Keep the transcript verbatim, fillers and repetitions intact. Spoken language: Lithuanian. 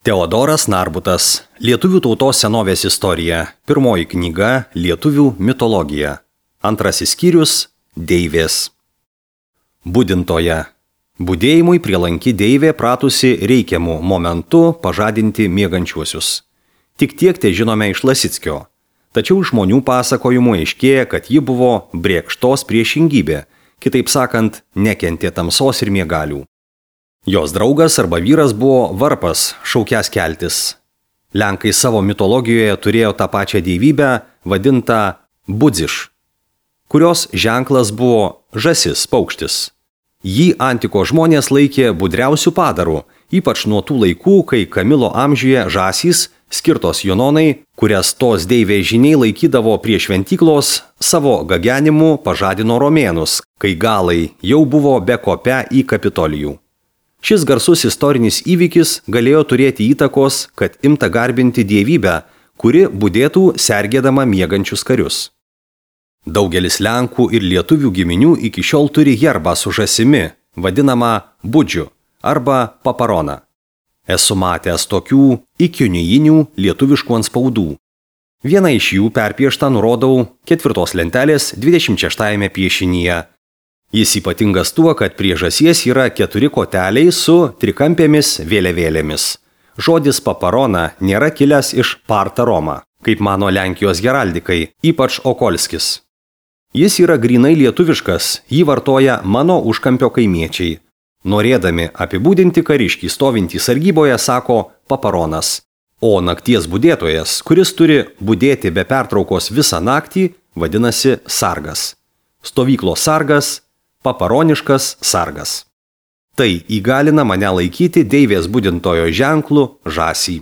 Teodoras Narbutas. Lietuvių tautos senovės istorija. Pirmoji knyga Lietuvių mitologija. Antrasis skyrius Deivės. Budintoja. Budėjimui prielanki deivė pratusi reikiamų momentų pažadinti miegančiuosius. Tik tiek te žinome iš Lasickio. Tačiau žmonių pasakojimų aiškėja, kad ji buvo brėkštos priešingybė, kitaip sakant, nekentė tamsos ir miegalių. Jos draugas arba vyras buvo varpas, šaukęs keltis. Lenkai savo mitologijoje turėjo tą pačią dievybę, vadintą budziš, kurios ženklas buvo žąsis, paukštis. Jį antiko žmonės laikė budriausių padarų, ypač nuo tų laikų, kai Kamilo amžiuje žąsys, skirtos Junonai, kurias tos deivės žiniai laikydavo prie šventyklos, savo gagenimu pažadino romėnus, kai galai jau buvo bekopę į Kapitolijų. Šis garsus istorinis įvykis galėjo turėti įtakos, kad imta garbinti dievybę, kuri budėtų sergėdama miegančius karius. Daugelis lenkų ir lietuvių giminių iki šiol turi herbą su žąsimi, vadinamą budžiu arba paparona. Esu matęs tokių ikiunijinių lietuviškų antspaudų. Vieną iš jų perpieštą nurodau ketvirtos lentelės dvidešimt šeštajame piešinyje. Jis ypatingas tuo, kad prie žąsies yra keturi koteliai su trikampėmis vėliavėlėmis. Žodis paparona nėra kilęs iš parta Roma, kaip mano Lenkijos heraldikai, ypač Okolskis. Jis yra grinai lietuviškas, jį vartoja mano užkampio kaimiečiai. Norėdami apibūdinti kariškį stovintį sargyboje, sako paparonas. O nakties budėtojas, kuris turi budėti be pertraukos visą naktį, vadinasi sargas. Stovyklos sargas, paparoniškas sargas. Tai įgalina mane laikyti deivės budintojo ženklu žąsį.